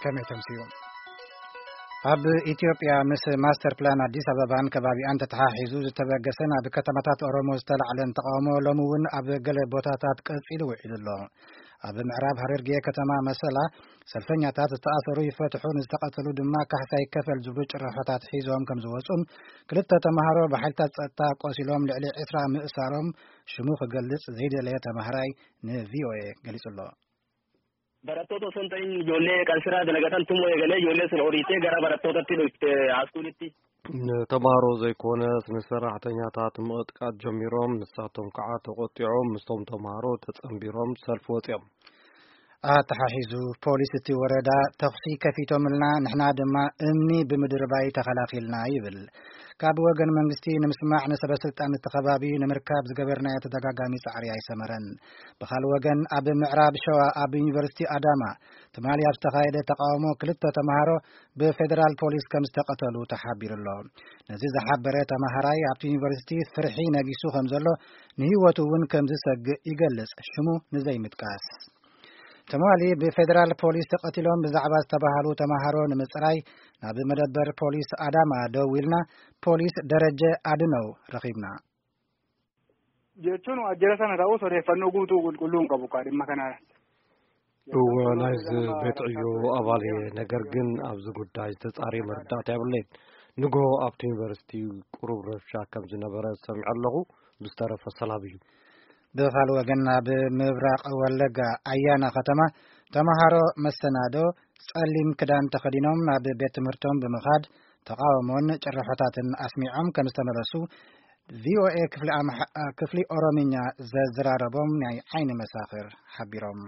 ከመይ ተምስዩ? ኣብ ኢትዮጵያ ምስ ማስተር ፕላን ኣዲስ ኣበባን ከባቢኣን ተተሓሒዙ ዝተበገሰን ኣብ ከተማታት ኦሮሞ ዝተላዕለን ተቃውሞ ሎሚ እውን ኣብ ገለ ቦታታት ቀጺሉ ውዒሉ ኣሎ። ኣብ ምዕራብ ሃረርጌ ከተማ መሰላ ሰልፈኛታት ዝተኣሰሩ ይፈትሑ፣ ንዝተቐተሉ ድማ ካሕሳ ይከፈል ዝብሉ ጭርሖታት ሒዞም ከም ዝወጹን ክልተ ተማሃሮ ብሓይልታት ጸጥታ ቆሲሎም ልዕሊ ዕስራ ምእሳሮም ሽሙ ክገልጽ ዘይደለየ ተማሃራይ ንቪኦኤ ገሊጹ ኣሎ። Barattoota osoo hin ta'in ijoollee kan sirraa dalagatan tumoo eegalee ijoollee sun horiitee gara barattootatti dhufte haaskuulitti. Tamaaroo ዘይኮነስ ንሰራሕተኛታት ምቕጥቃጥ ጀሚሮም፣ ንሳቶም ከዓ ተቆጢዖም ምስቶም ተማሃሮ ተጸንቢሮም ሰልፊ ወፂኦም። ኣተሓሒዙ ፖሊስ እቲ ወረዳ ተኹሲ ከፊቶምልና፣ ንሕና ድማ እምኒ ብምድርባይ ተኸላኺልና ይብል። ካብ ወገን መንግስቲ ንምስማዕ ንሰበ ስልጣን እቲ ከባቢ ንምርካብ ዝገበርናዮ ተደጋጋሚ ጻዕሪ ኣይሰመረን። ብኻልእ ወገን ኣብ ምዕራብ ሸዋ ኣብ ዩኒቨርሲቲ ኣዳማ ትማሊ ኣብ ዝተኻየደ ተቃውሞ ክልተ ተምሃሮ ብፌደራል ፖሊስ ከም ዝተቐተሉ ተሓቢሩ ኣሎ። ነዚ ዝሓበረ ተምሃራይ ኣብቲ ዩኒቨርሲቲ ፍርሒ ነጊሱ ከም ዘሎ ንህይወቱ እውን ከም ዝሰግእ ይገልጽ ሽሙ ንዘይምጥቃስ። ትማሊ ብፌደራል ፖሊስ ተቐቲሎም ብዛዕባ ዝተባሃሉ ተምሃሮ ንምጽራይ ናብ መደበር ፖሊስ ኣዳማ ደው ኢልና ፖሊስ ደረጀ ኣድነው ረኺብና። Jechuun waajjira sana ta'us odeeffannoo guutuu qulqulluu hin qabu kaa dhimma kanaa. እወ ናይዚ ቤት ዕዮ ኣባል እየ፣ ነገር ግን ኣብዚ ጉዳይ ዝተጻረየ መረዳእታ የብለይን። ንግሆ ኣብቲ ዩኒቨርሲቲ ቁሩብ ረብሻ ከም ዝነበረ ሰሚዐ ኣለኹ። ብዝተረፈ ሰላም እዩ። ብኻልእ ወገን ኣብ ምብራቕ ወለጋ ኣያና ከተማ ተምሃሮ መሰናዶ ጸሊም ክዳን ተኸዲኖም ናብ ቤት ትምህርቶም ብምኻድ ተቃውሞን ጭርሖታትን ኣስሚዖም ከም ዝተመለሱ ቪኦኤ ክፍሊ ኣምሓ- ክፍሊ ኦሮምኛ ዘዘራረቦም ናይ ዓይኒ መሳኽር ሓቢሮም።